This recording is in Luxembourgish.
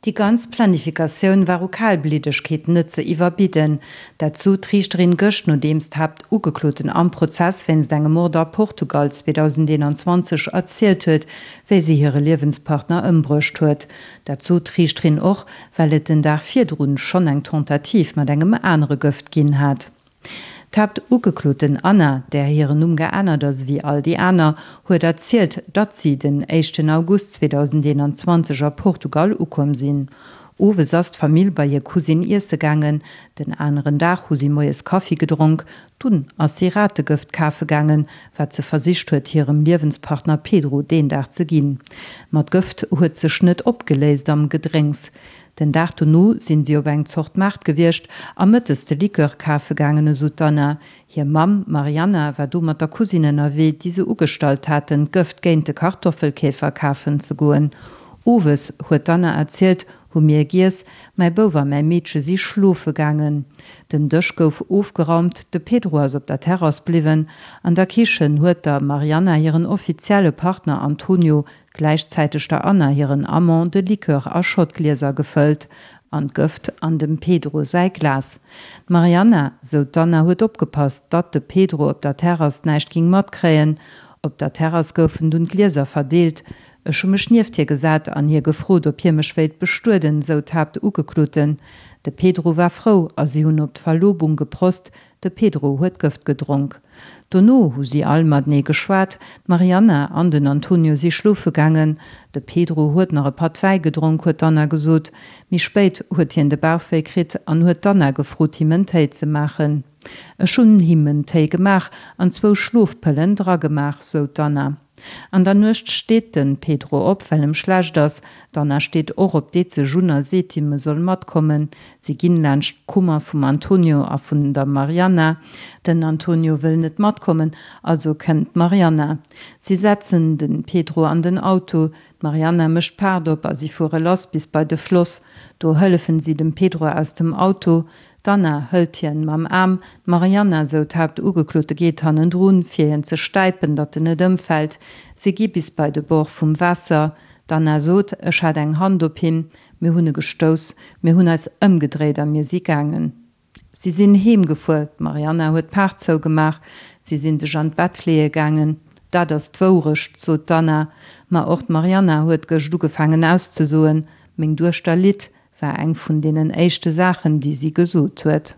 Déi ganz Planifikatioun war u Kalbliddegkeet net ze iwwerbidden. Dat sot d'Riichterin gëscht, nodeems d'Haaptugekloten am Prozess wéinst engem Mord a Portugal 2021 erzielt huet, wéi si hire Liewenspartner ëmbruecht huet. Dat sot d'Riichterin och, well et den Dag virdrun schonn eng Tentative mat engem anere Gëft ginn hat. D'Haaptugekloten Anna, där hiren Numm geännert ass ewéi all déi aner, huet erzielt, datt si den éischten August 2021 a Portugal ukomm sinn. Owes ass d'Famill bei hir Cousine iesse gaangen, den aneren Dag hu si moies Kaffi gedronk, dunn ass si Rategëft kafe gaangen, wat se versicht huet hirem Liewenspartner Pedro deen Dag ze ginn. Ma d'Gëft huet sech net opgeléist am Gedrénks. Den Dag dono sinn si op eng Zort Maart gewiescht a mëttes de Likör kafe gaangen, esou d'Anna. Hir Mamm, d'Marianna, war do mat der Cousine ënnerwee, déi se ugestallt haten, d'Gëft géint de Kartoffelkäfer kafen ze goen. Owes, huet d'Anna erzielt, hu mir giess, mäi Bouf a mäi Meedche si schlofe gaangen. Den Dësch gouf ofgeraumt, de Pedro ass op der Terrass bliwwen. An der Kichen huet der Marianna hiren offizielle Partner Antonio Gläichzäiteg der Anna hiren Amant de Likör a Schottglieser gefëllt an d'Gëft an dem Pedro säi Glas. D'Marianna, sou d'Anna, huet opgepasst, datt de Pedro op der Terrass näischt ging matkréien. Op der Terrass goufen dunn d'Glieser verdeelt. Ech hu mech nieft hie gesat an hie gefrot, ob hie mech wéilt bestueden, sou d'Haaptugekloten. De Pedro war frou a si hunn op d'Verlobung geprost, De Pedro huet Gëft gedronk. Dono hu si all matenee geschwat. D'Marianna an den Antonio si schlofe gaangen. De Pedro huet nach e Patt Wäi gedronk, huet d'Anna gesot. Méi spéit huet hien de Bauchwéi kritt an huet d'Anna gefrot, him en Téi ze maachen. Ech hunn him en Téi gemaach an zwou Schlofpëllen dragemaach, sou d'Anna. An der Nuecht steet den Pedro op, well em schlecht ass. D'Anna steet och op, deet sech un a seet him, e soll matkommen. Si ginn laanscht d'Kummer vum Antonio a vun der Marianna. Den Antonio wëll net matkommen, also kennt d'Marianna. Si setzen den Pedro an den Auto, d'Marianna mécht d'Paart op a si fuere lass bis bei de Floss. Do hëllefen si dem Pedro aus dem Auto. D'Anna hëlt hien mam Aarm, d'Marianna, sou d'Haaptugeklote, geet hannendrun, fir hien ze stäipen, datt en net ëmfält. Si gi bis bei de Bord vum Waasser. D'Anna sot, Ech hat eng Hand op him, mir hunn e gestouss, mir hunn eis ëmgedréit a mir si gaangen. Si sinn heem gefuer, d'Marianna huet d'Paart zougemaach, si si sech an d'Bett leeë gaangen. Dat ass d'Wourecht, sot d'Anna. Ma och d'Marianna huet gëscht ugefaangen auszesoen, Meng Duechter litt, war eng vun deenen éischte Saachen, déi si gesot huet.